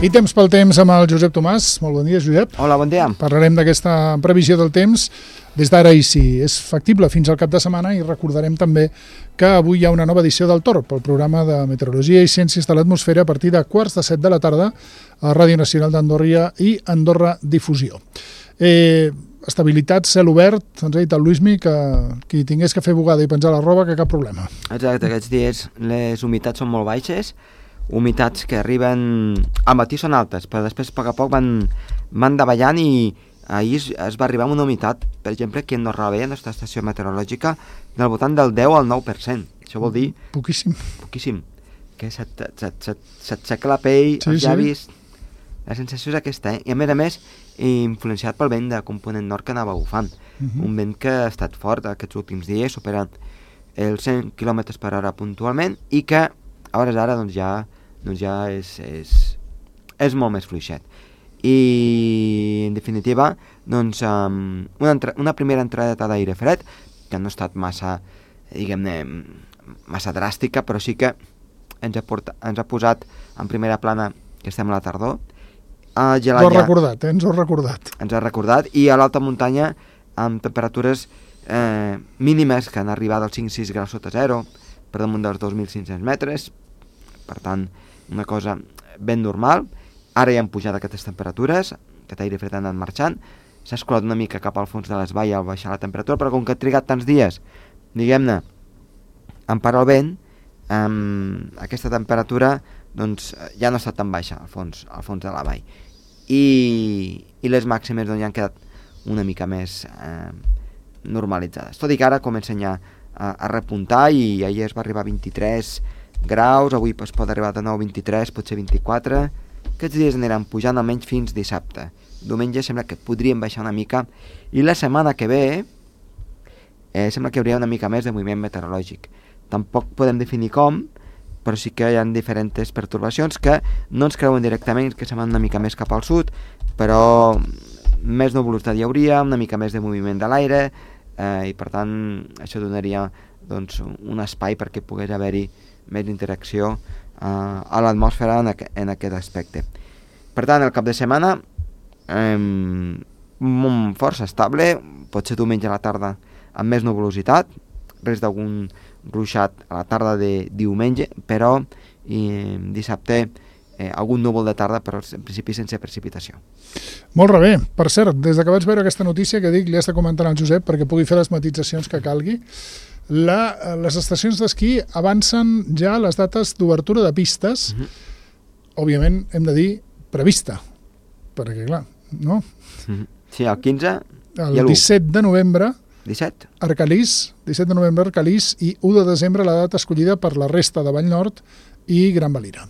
I temps pel temps amb el Josep Tomàs. Molt bon dia, Josep. Hola, bon dia. Parlarem d'aquesta previsió del temps des d'ara i si és factible fins al cap de setmana, i recordarem també que avui hi ha una nova edició del Torb, el programa de Meteorologia i Ciències de l'Atmosfera, a partir de 6:45 de la tarda a Ràdio Nacional d'Andorra i Andorra Difusió. Estabilitat, cel obert, ens ha dit el Luismi que qui tingués que fer bugada i penjar la roba, que cap problema. Exacte, aquests dies les humitats són molt baixes, humitats que arriben al matí són altes, però després a poc a poc van davallant, i ahir es va arribar a una humitat, per exemple, aquí a Andorra la nostra estació meteorològica, del voltant del 10 al 9%. Això vol dir... Poquíssim. Poquíssim. Que s'aixeca la pell, els llavis... Sí. La sensació és aquesta, I a més, influenciat pel vent de component nord que anava bufant. Un vent que ha estat fort aquests últims dies, superant els 100 km per hora puntualment, i que a hores d'ara ja és molt més fluixet. I en definitiva, doncs, una primera entrada d'aire fred, que no ha estat massa, diguem-ne, massa dràstica, però sí que ens ha posat en primera plana que estem a la tardor. Ens ho ha recordat, ens ho ha recordat. Ens ha recordat, i a l'alta muntanya amb temperatures mínimes que han arribat als 5-6 graus sota zero, per damunt dels 2.500 metres, per tant, una cosa ben normal. Ara ja han pujat aquestes temperatures, aquest aire fred ha anat marxant, s'ha escolat una mica cap al fons de les valls al baixar la temperatura, però com que ha trigat tants dies, diguem-ne, en parar el vent, aquesta temperatura doncs ja no està tan baixa al fons de la vall, i les màximes doncs, ja han quedat una mica més normalitzades, tot i que ara comencen ja a repuntar, i ahir es va arribar a 23 graus, avui es pot arribar de nou a 23, potser 24. Aquests dies aniran pujant almenys fins dissabte. Diumenge sembla que podrien baixar una mica, i la setmana que ve sembla que hi hauria una mica més de moviment meteorològic. Tampoc podem definir com, però sí que hi ha diferents pertorbacions que no ens creuen directament, que se van una mica més cap al sud, però més nuvolositat hi hauria, una mica més de moviment de l'aire, i per tant això donaria doncs, un espai perquè pogués haver-hi més interacció a l'atmosfera en aquest aspecte. Per tant, el cap de setmana força estable, potser diumenge a la tarda amb més nuvolositat, res d'algun ruixat a la tarda de diumenge, però dissabte algun núvol de tarda, però en principi sense precipitació. Molt bé. Per cert, des que vaig veure aquesta notícia, que dic, li has de comentar al Josep perquè pugui fer les matitzacions que calgui, les estacions d'esquí avancen ja les dates d'obertura de pistes, òbviament hem de dir prevista, perquè clar, no? Sí, el 15 el 17 de novembre 17? Arcalís, 17 de novembre Arcalís, i 1 de desembre la data escollida per la resta de Vallnord i Gran Valira.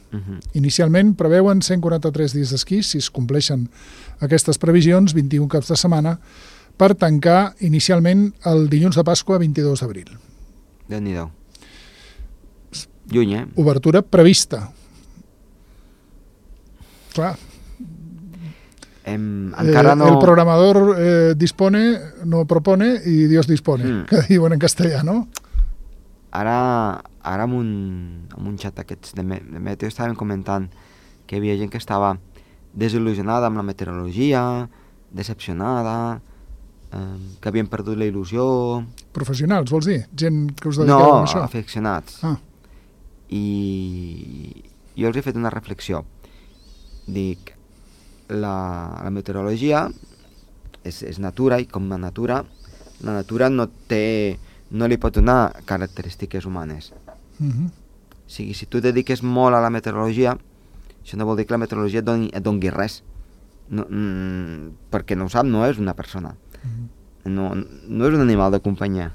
Inicialment preveuen 143 dies d'esquí, si es compleixen aquestes previsions, 21 caps de setmana, per tancar inicialment el dilluns de Pasqua, 22 d'abril. Déu-n'hi-do. Lluny, Obertura prevista. Clar. Encara no... El programador dispone, no propone, i Dios dispone, que diuen en castellà, no? Ara amb un xat aquests de meteo estàvem comentant que hi havia gent que estava desil·lusionada amb la meteorologia, decepcionada, que havien perdut la il·lusió... Professionals, vols dir? Gent que us dediqueu a això? No, aficionats. I jo els he fet una reflexió. Dic, la meteorologia és natura, i com la natura no li pot donar característiques humanes. O sigui, si tu et dediques molt a la meteorologia, això no vol dir que la meteorologia et doni res. No, perquè no ho sap, no és una persona. No és un animal de companyia.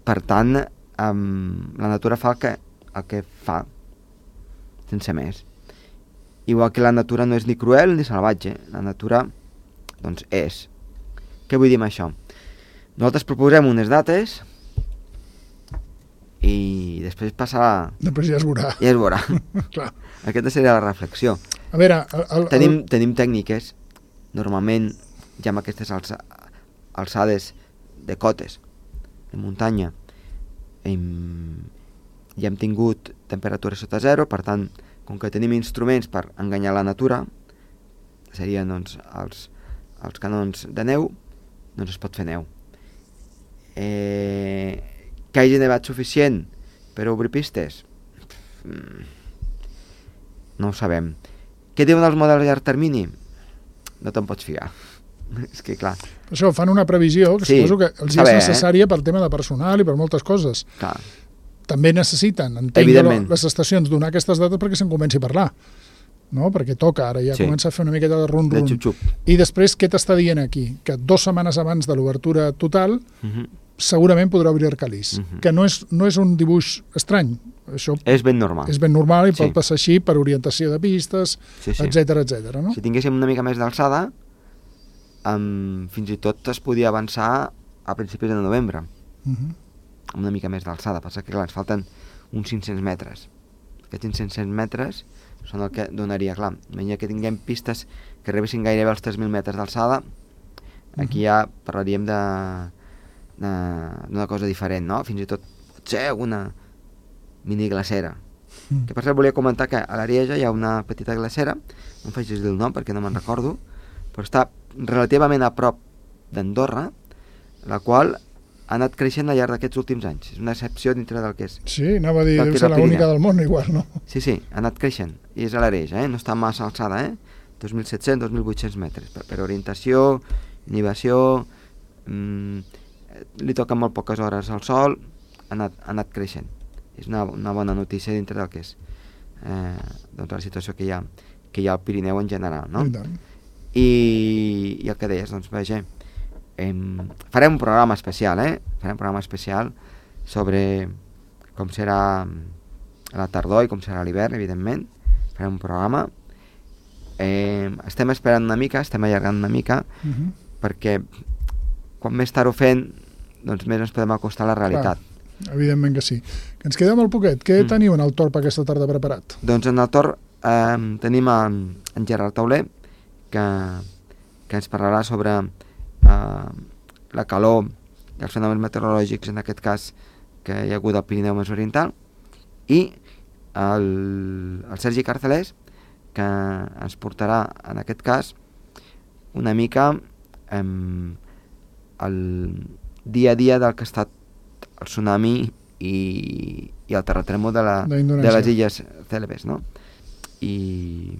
Per tant, la natura fa el que fa, sense més. Igual que la natura no és ni cruel ni salvatge. La natura, doncs, és. Què vull dir amb això? Nosaltres proposem unes dates i després passarà... Després ja es veurà. Ja es veurà. Aquesta seria la reflexió. A veure... Tenim tècniques, normalment ja amb aquestes alçades de cotes, de muntanya, ja hem tingut temperatures sota zero, per tant com que tenim instruments per enganyar la natura, serien doncs, els canons de neu, doncs es pot fer neu. Que hagi nevat suficient per obrir pistes? No ho sabem. Què diuen els models a llarg termini? No te'n pots fiar. És que, clar... Per això fan una previsió que suposo que els és necessària per tema de personal i per moltes coses. Clar. També necessiten, entenc, les estacions donar aquestes dates perquè se'n comenci a parlar. No? Perquè toca, ara ja comença a fer una miqueta de rum-rum. I després, què t'està dient aquí? Que 2 setmanes abans de l'obertura total segurament podrà obrir Arcalís. Que no és un dibuix estrany. Això és ben normal. És ben normal i pot passar així per orientació de pistes, etcètera, etcètera. No? Si tinguéssim una mica més d'alçada, fins i tot es podia avançar a principis de novembre. Amb una mica més d'alçada. Passa que, clar, ens falten uns 500 metres. Aquests 500 metres són el que donaria, clar, imagina que tinguem pistes que arribessin gairebé als 3.000 metres d'alçada, aquí ja parlaríem d'una cosa diferent, no? Fins i tot potser una mini glacera. Que per cert volia comentar que a l'Arieja hi ha una petita glacera, no em facis dir el nom perquè no me'n recordo, però està relativament a prop d'Andorra, la qual ha anat creixent al llarg d'aquests últims anys. És una excepció dintre del que és. Sí, anava a dir, deu ser l'única del món, igual, no? Sí, ha anat creixent. I és a l'Arieja, no està massa alçada, 2.700, 2.800 metres. Per orientació, inhibició, li toquen molt poques hores al sol, ha anat creixent. És una bona notícia dintre del que és doncs la situació que hi ha al Pirineu en general, no? I el que deies, doncs, vaja, farem un programa especial, farem un programa especial sobre com serà la tardor i com serà l'hivern, evidentment. Farem un programa. Estem esperant una mica, estem allargant una mica, perquè quan més tard ho fem, doncs més ens podem acostar a la realitat. Clar, evidentment que sí. Que ens queda molt poquet. Què teniu en el Torb aquesta tarda preparat? Doncs en el Torb tenim en Gerard Tauler, que ens parlarà sobre la calor i els fenòmens meteorològics, en aquest cas que hi ha hagut al Pirineu més oriental, i el Sergi Carcelés, que ens portarà en aquest cas una mica el dia a dia del que ha estat el tsunami i el terratrèmol de les illes Célebes, no? I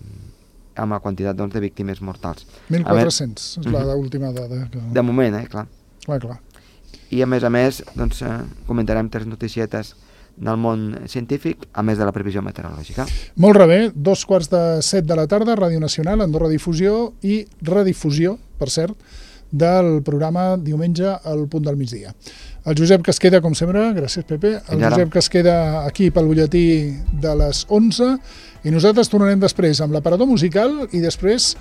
amb la quantitat doncs, de víctimes mortals. 1.400 és l'última dada. De moment, clar. Clar. I a més, doncs, comentarem 3 noticietes del món científic, a més de la previsió meteorològica. Molt bé, 2:15 de la tarda, Ràdio Nacional, Andorra Difusió i redifusió, per cert, del programa diumenge al punt del migdia. El Josep que es queda, com sempre, gràcies Pepe, el Josep que es queda aquí pel butlletí de les 11 i nosaltres tornarem després amb l'aparador musical i després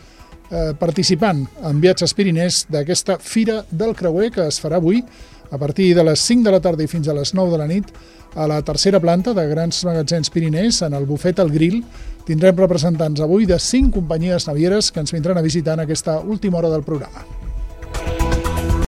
participant en Viatges Pirinès d'aquesta Fira del Creuer que es farà avui a partir de les 5 de la tarda i fins a les 9 de la nit a la tercera planta de Grans Magatzems Pirinès, en el bufet El Grill. Tindrem representants avui de 5 companyies navieres que ens vindran a visitar en aquesta última hora del programa.